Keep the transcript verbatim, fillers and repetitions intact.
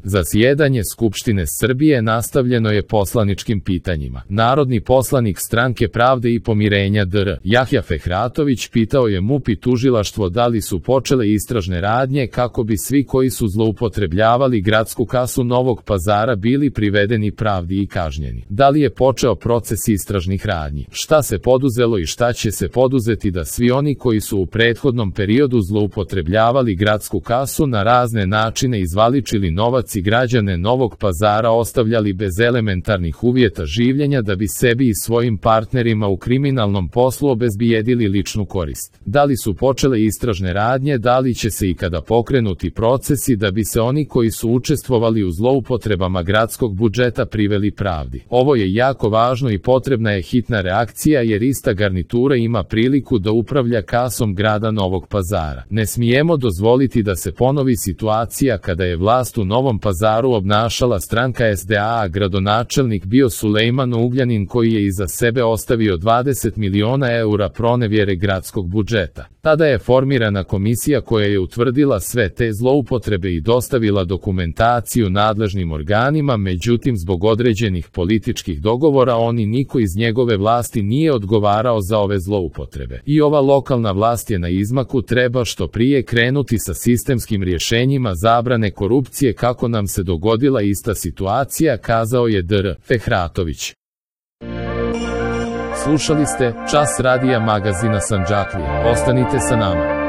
Zasjedanje Skupštine Srbije nastavljeno je poslaničkim pitanjima. Narodni poslanik Stranke pravde i pomirenja dr Jahja Fehratović pitao je M U P i tužilaštvo da li su počele istražne radnje kako bi svi koji su zloupotrebljavali gradsku kasu Novog Pazara bili privedeni pravdi i kažnjeni. Da li je počeo proces istražnih radnji? Šta se poduzelo i šta će se poduzeti da svi oni koji su u prethodnom periodu zloupotrebljavali gradsku kasu na razne načine izvaličili novac i građane Novog Pazara ostavljali bez elementarnih uvjeta življenja da bi sebi i svojim partnerima u kriminalnom poslu obezbijedili ličnu korist? Da li su počele istražne radnje, da li će se ikada pokrenuti procesi da bi se oni koji su učestvovali u zloupotrebama gradskog budžeta priveli pravdi? Ovo je jako važno i potrebna je hitna reakcija jer ista garnitura ima priliku da upravlja kasom grada Novog Pazara. Ne smijemo dozvoliti da se ponovi situacija kada je vlast u Novom Pazaru obnašala stranka S D A, a gradonačelnik bio Sulejman Ugljanin koji je iza sebe ostavio dvadeset miliona eura pronevjere gradskog budžeta. Tada je formirana komisija koja je utvrdila sve te zloupotrebe i dostavila dokumentaciju nadležnim organima, međutim zbog određenih političkih dogovora oni niko iz njegove vlasti nije odgovarao za ove zloupotrebe. I ova lokalna vlast je na izmaku, treba što prije krenuti sa sistemskim rješenjima zabrane korupcije kako nam se dogodila ista situacija, kazao je dr Fehratović. Slušali ste Čas radija magazina Sandžaklija. Ostanite sa nama.